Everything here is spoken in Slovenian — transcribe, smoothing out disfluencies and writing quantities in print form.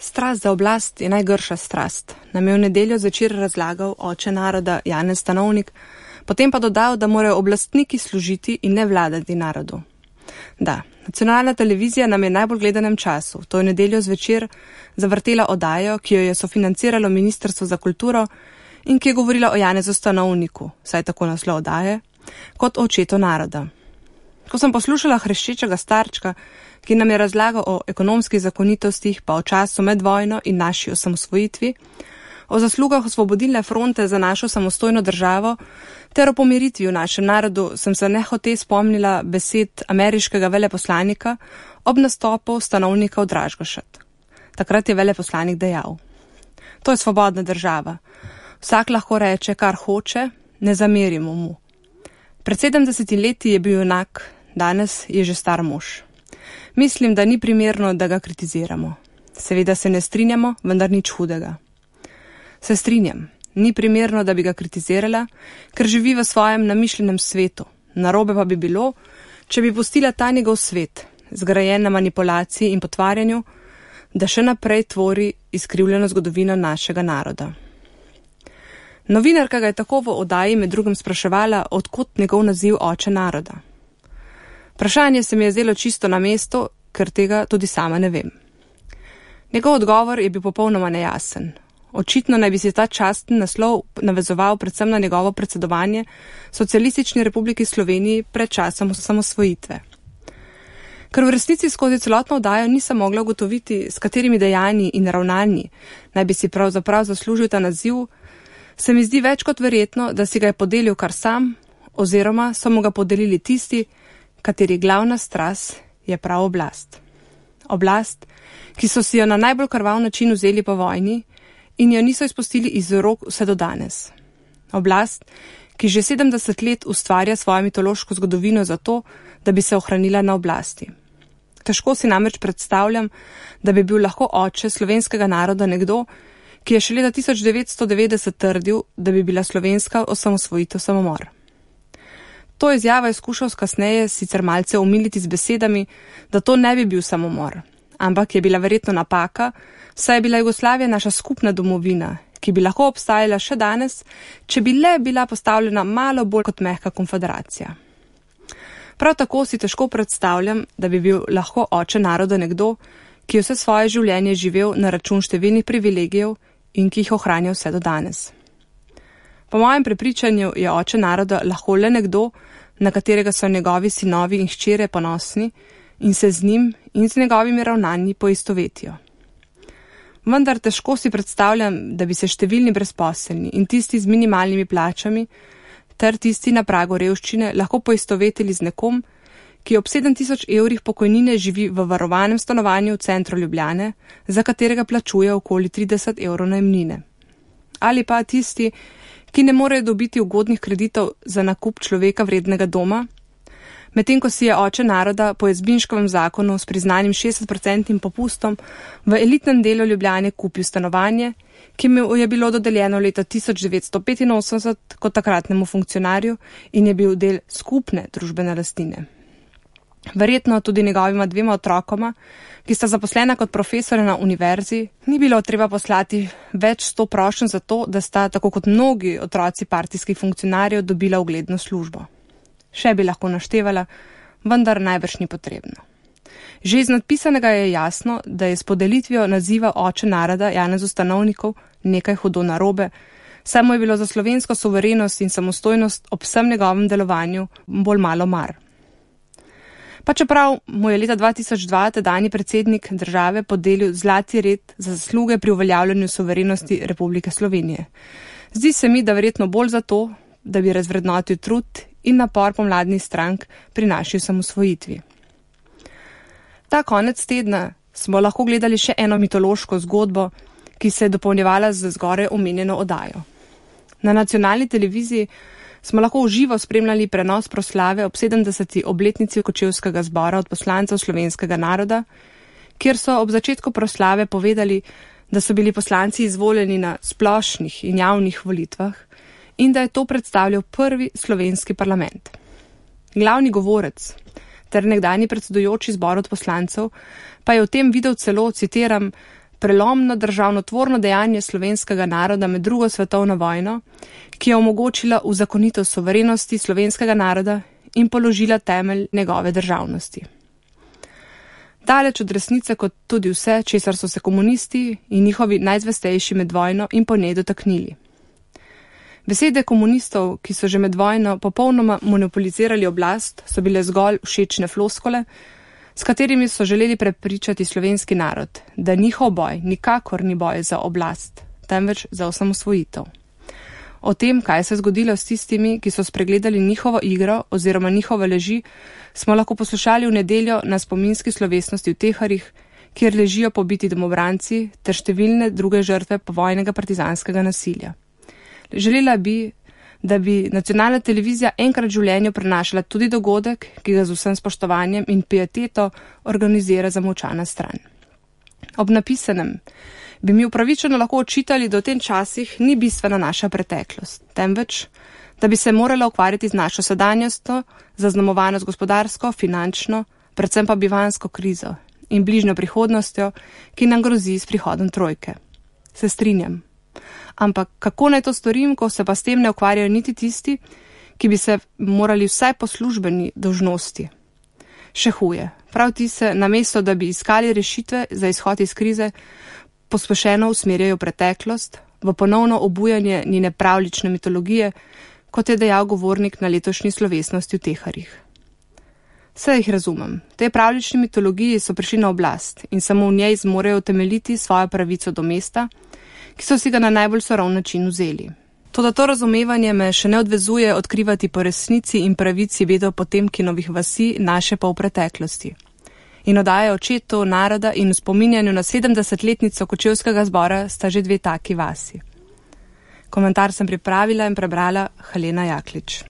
Strast za oblast je najgrša strast, nam je v nedeljo zvečer razlagal oče naroda Janez Stanovnik, potem pa dodal, da morajo oblastniki služiti in ne vladati narodu. Da, nacionalna televizija nam je najbolj gledanem času, to je nedeljo zvečer, zavrtela oddajo, ki jo je sofinanciralo Ministrstvo za kulturo in ki je govorila o Janezu Stanovniku, saj tako naslov oddaje, kot o očetu naroda. Ko sem poslušala hreščečega starčka, ki nam je razlagal o ekonomskih zakonitostih, pa o času med vojno in naši osamosvojitvi, o zaslugah osvobodilne fronte za našo samostojno državo ter o pomiritvi v našem narodu, sem se nehote spomnila besed ameriškega veleposlanika ob nastopu Stanovnika v Dražgošat. Takrat je veleposlanik dejal: To je svobodna država. Vsak lahko reče, kar hoče, ne zamerimo mu. Pred 70 leti je bil junak, danes je že star mož. Mislim, da ni primerno, da ga kritiziramo. Seveda se ne strinjamo, vendar nič hudega. Se strinjam, ni primerno, da bi ga kritizirala, ker živi v svojem namišljenem svetu. Narobe pa bi bilo, če bi pustila ta njegov svet, zgrajen na manipulaciji in potvarjanju, da še naprej tvori izkrivljeno zgodovino našega naroda. Novinarka ga je tako v oddaji med drugim spraševala, odkot njegov naziv oče naroda. Vprašanje se mi je zdelo čisto na mestu, ker tega tudi sama ne vem. Njegov odgovor je bil popolnoma nejasen. Očitno naj bi si ta častni naslov navezoval predvsem na njegovo predsedovanje Socialistični republiki Sloveniji pred časom osamosvojitve. Ker v resnici skozi celotno oddajo nisem mogla ugotoviti, s katerimi dejanji in ravnanji naj bi si pravzaprav zaslužil ta naziv, se mi zdi več kot verjetno, da si ga je podelil kar sam, oziroma so mu ga podelili tisti, kateri glavna strast je prav oblast. Oblast, ki so si jo na najbolj krvav način vzeli po vojni in jo niso izpustili iz rok vse do danes. Oblast, ki že 70 let ustvarja svojo mitološko zgodovino zato, da bi se ohranila na oblasti. Težko si namreč predstavljam, da bi bil lahko oče slovenskega naroda nekdo, ki je še leta 1990 trdil, da bi bila slovenska osamosvojitev samomor. To izjavo je skušal kasneje sicer malce omiliti z besedami, da to ne bi bil samomor, ampak je bila verjetno napaka, saj je bila Jugoslavija naša skupna domovina, ki bi lahko obstajala še danes, če bi le bila postavljena malo bolj kot mehka konfederacija. Prav tako si težko predstavljam, da bi bil lahko oče naroda nekdo, ki je vse svoje življenje živel na račun številnih privilegijev in ki jih ohranja vse do danes. Po mojem prepričanju je oče naroda lahko le nekdo, na katerega so njegovi sinovi in hčere ponosni in se z njim in z njegovimi ravnanji poistovetijo. Vendar težko si predstavljam, da bi se številni brezposelni in tisti z minimalnimi plačami ter tisti na pragu revščine lahko poistovetili z nekom, ki ob 7000 evrih pokojnine živi v varovanem stanovanju v centru Ljubljane, za katerega plačuje okoli 30 evrov najemnine. Ali pa tisti, ki ne morejo dobiti ugodnih kreditov za nakup človeka vrednega doma, medtem ko si je oče naroda po Jazbinškovem zakonu s priznanim 60% popustom v elitnem delu Ljubljane kupil stanovanje, ki mu je bilo dodeljeno leta 1985 kot takratnemu funkcionarju in je bil del skupne družbene lastnine. Verjetno tudi njegovima 2 otrokoma, ki sta zaposlena kot profesore na univerzi, ni bilo treba poslati več 100 prošenj za to, da sta, tako kot mnogi otroci partijskih funkcionarjev, dobila ugledno službo. Še bi lahko naštevala, vendar najbrž ni potrebno. Že iz nadpisanega je jasno, da je s podelitvijo naziva oče naroda Janezu Stanovniku nekaj hudo narobe, saj mu je bilo za slovensko suverenost in samostojnost ob vsem njegovem delovanju bolj malo mar. Pa čeprav mu je leta 2002 tedajni predsednik države podelil zlati red za zasluge pri uveljavljanju suverenosti Republike Slovenije. Zdi se mi, da verjetno bolj zato, da bi razvrednotil trud in napor pomladnih strank pri naši osamosvojitvi. Ta konec tedna smo lahko gledali še eno mitološko zgodbo, ki se je dopolnjevala z zgoraj omenjeno oddajo. Na nacionalni televiziji smo lahko v živo spremljali prenos proslave ob 70. obletnici Kočevskega zbora od poslancev slovenskega naroda, kjer so ob začetku proslave povedali, da so bili poslanci izvoljeni na splošnih in javnih volitvah in da je to predstavljal prvi slovenski parlament. Glavni govorec ter nekdanji predsedujoči zbor od poslancev pa je v tem videl celo, citiram, prelomno državnotvorno dejanje slovenskega naroda med drugo svetovno vojno, ki je omogočila uzakonitev suverenosti slovenskega naroda in položila temelj njegove državnosti. Daleč od resnice kot tudi vse, česar so se komunisti in njihovi najzvestejši med vojno in po njej dotaknili. Besede komunistov, ki so že med vojno popolnoma monopolizirali oblast, so bile zgolj všečne floskole, s katerimi so želeli prepričati slovenski narod, da njihov boj nikakor ni boj za oblast, temveč za osamosvojitev. O tem, kaj se je zgodilo s tistimi, ki so spregledali njihovo igro oziroma njihove leži, smo lahko poslušali v nedeljo na spominski slovesnosti v Teharjih, kjer ležijo pobiti domobranci ter številne druge žrtve povojnega partizanskega nasilja. Želela bi, da bi nacionalna televizija enkrat v življenju prenašala tudi dogodek, ki ga z vsem spoštovanjem in pieteto organizira zamolčana stran. Ob napisanem bi mi upravičeno lahko očitali, da v tem časih ni bistvena naša preteklost, temveč, da bi se morala ukvarjati z našo sedanjostjo, zaznamovano z gospodarsko, finančno, predvsem pa bivanjsko krizo in bližnjo prihodnostjo, ki nam grozi s prihodom trojke. Se strinjam. Ampak kako naj to storim, ko se pa s tem ne ukvarjajo niti tisti, ki bi se morali vsaj po službeni dolžnosti? Še huje, prav ti se, namesto da bi iskali rešitve za izhod iz krize, pospešeno usmerjajo v preteklost, v ponovno obujanje njene pravljične mitologije, kot je dejal govornik na letošnji slovesnosti v Teharjih. Vse jih razumem. Te pravljične mitologiji so prišli na oblast in samo v njej zmorejo utemeljiti svojo pravico do mesta, ki so si ga na najbolj sorov način vzeli. Toda to razumevanje me še ne odvezuje odkrivati po resnici in pravici vedel Potemkinovih vasi, naše pa v preteklosti. In oddaja očetu, naroda in v spominjanju na 70-letnico Kočevskega zbora sta že dve taki vasi. Komentar sem pripravila in prebrala Helena Jaklič.